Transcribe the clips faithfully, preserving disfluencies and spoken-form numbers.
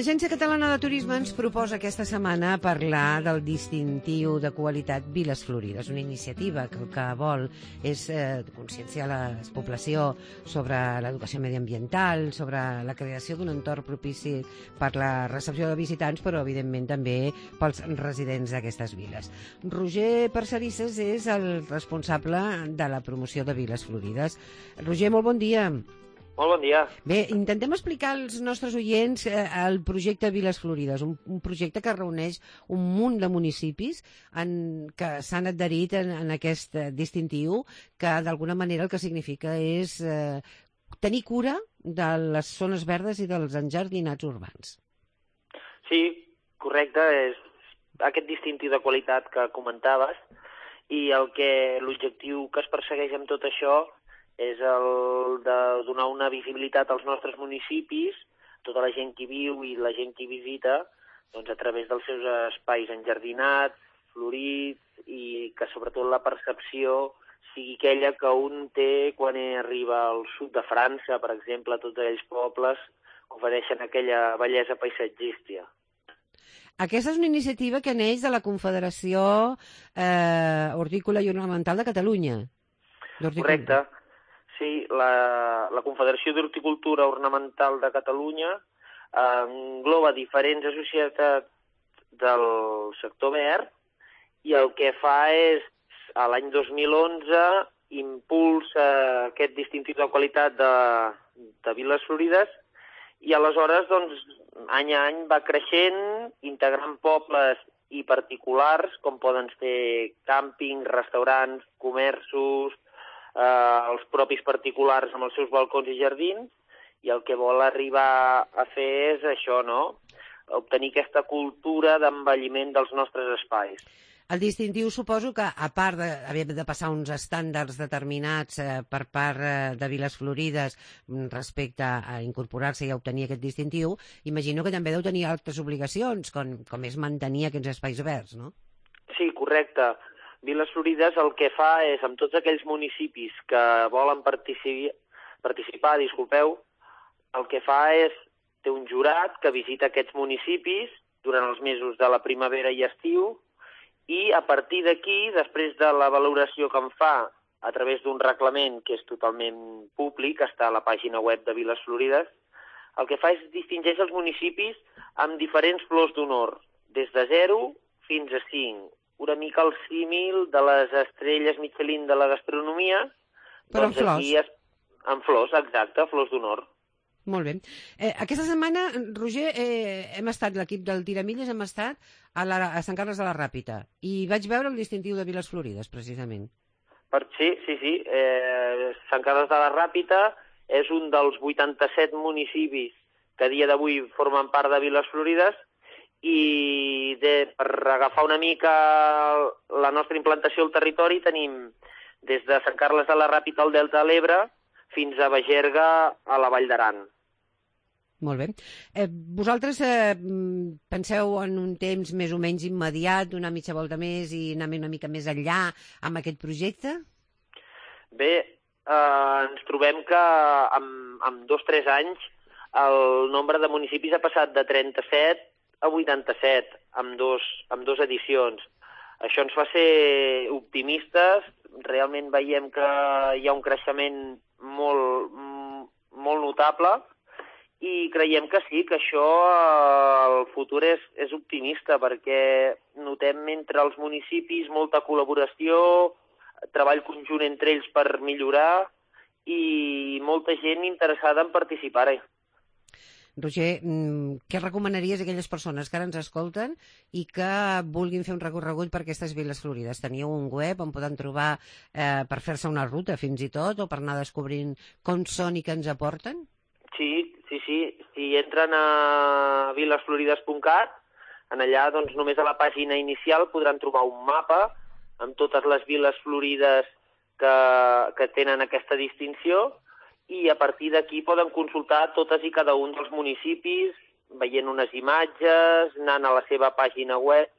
L'Agència Catalana de Turisme ens proposa aquesta setmana parlar del distintiu de qualitat Viles Florides, una iniciativa que el que vol és eh, conscienciar la població sobre l'educació mediambiental, sobre la creació d'un entorn propici per la recepció de visitants, però evidentment també pels residents d'aquestes viles. Roger Parcerisses és el responsable de la promoció de Viles Florides. Roger, molt bon dia. Molt bon dia. Bé, intentem explicar als nostres oients eh, el projecte Viles Florides, un, un projecte que reuneix un munt de municipis en, que s'han adherit en, en aquest eh, distintiu, que d'alguna manera el que significa és eh, tenir cura de les zones verdes i dels enjardinats urbans. Sí, correcte, és aquest distintiu de qualitat que comentaves, i el que l'objectiu que es persegueix amb tot això és el de donar una visibilitat als nostres municipis, tota la gent que viu i la gent que visita, doncs a través dels seus espais enjardinats, florits, i que sobretot la percepció sigui aquella que un té quan arriba al sud de França, per exemple, a tots aquells pobles que ofereixen aquella bellesa paisatgística. Aquesta és una iniciativa que neix de la Confederació eh, Hortícola i Ornamental de Catalunya. Correcte. Sí, la, la Confederació d'Horticultura Ornamental de Catalunya eh, engloba diferents associacions del sector verd, i el que fa és, a l'any dos mil onze, impulsa aquest distintiu de qualitat de, de Viles Florides, i aleshores, doncs, any a any va creixent, integrant pobles i particulars, com poden ser càmpings, restaurants, comerços, Eh, els propis particulars amb els seus balcons i jardins, i el que vol arribar a fer és això, no? Obtenir aquesta cultura d'envelliment dels nostres espais. El distintiu suposo que, a part d'haver de passar uns estàndards determinats eh, per part eh, de Viles Florides respecte a incorporar-se i a obtenir aquest distintiu, imagino que també deu tenir altres obligacions, com, com és mantenir aquests espais verds, no? Sí, correcte. Viles Florides el que fa és, amb tots aquells municipis que volen participar, participar, disculpeu, el que fa és, té un jurat que visita aquests municipis durant els mesos de la primavera i estiu, i a partir d'aquí, després de la valoració que en fa a través d'un reglament que és totalment públic, està a la pàgina web de Viles Florides, el que fa és distingeix els municipis amb diferents flors d'honor, des de zero fins a cinc. Una mica el símil de les estrelles Michelin de la gastronomia. Però doncs en flors. Aquí es... En flors, exacte, flors d'honor. Molt bé. Eh, aquesta setmana, Roger, eh, hem estat, l'equip del Tiramilles, hem estat a, la, a Sant Carles de la Ràpita, i vaig veure el distintiu de Viles Florides, precisament. Per, sí, sí, sí. Eh, Sant Carles de la Ràpita és un dels vuitanta-set municipis que a dia d'avui formen part de Viles Florides, i de, per agafar una mica la nostra implantació al territori tenim des de Sant Carles de la Ràpita al Delta de l'Ebre fins a Bagerga a la Vall d'Aran. Molt bé. Eh, vosaltres eh, penseu en un temps més o menys immediat, una mitja volta més i anar una mica més enllà amb aquest projecte? Bé, eh, ens trobem que en, en dos o tres anys el nombre de municipis ha passat de trenta-set a vuitanta-set, amb dos, amb dos edicions. Això ens fa ser optimistes, realment veiem que hi ha un creixement molt, molt notable, i creiem que sí, que això, el futur és, és optimista, perquè notem entre els municipis molta col·laboració, treball conjunt entre ells per millorar, i molta gent interessada en participar-hi. Roger, què recomanaries a aquelles persones que ara ens escolten i que vulguin fer un recorregut per aquestes Viles Florides? Teniu un web on poden trobar eh, per fer-se una ruta fins i tot, o per anar descobrint com són i què ens aporten? Sí, sí, sí. Si entren a vilesflorides punt cat, en allà doncs, només a la pàgina inicial podran trobar un mapa amb totes les Viles Florides que, que tenen aquesta distinció, i a partir d'aquí poden consultar totes i cada un dels municipis, veient unes imatges, anant a la seva pàgina web,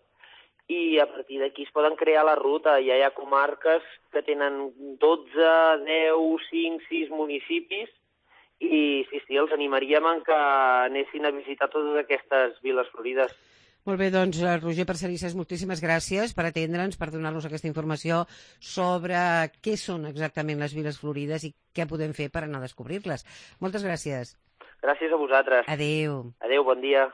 i a partir d'aquí es poden crear la ruta. Ja hi ha comarques que tenen dotze, deu, cinc, sis municipis, i sí, sí, els animaríem en que anessin a visitar totes aquestes viles florides. Molt bé, doncs, Roger Parcerisses, moltíssimes gràcies per atendre'ns, per donar-nos aquesta informació sobre què són exactament les viles florides i què podem fer per anar a descobrir-les. Moltes gràcies. Gràcies a vosaltres. Adéu. Adéu, bon dia.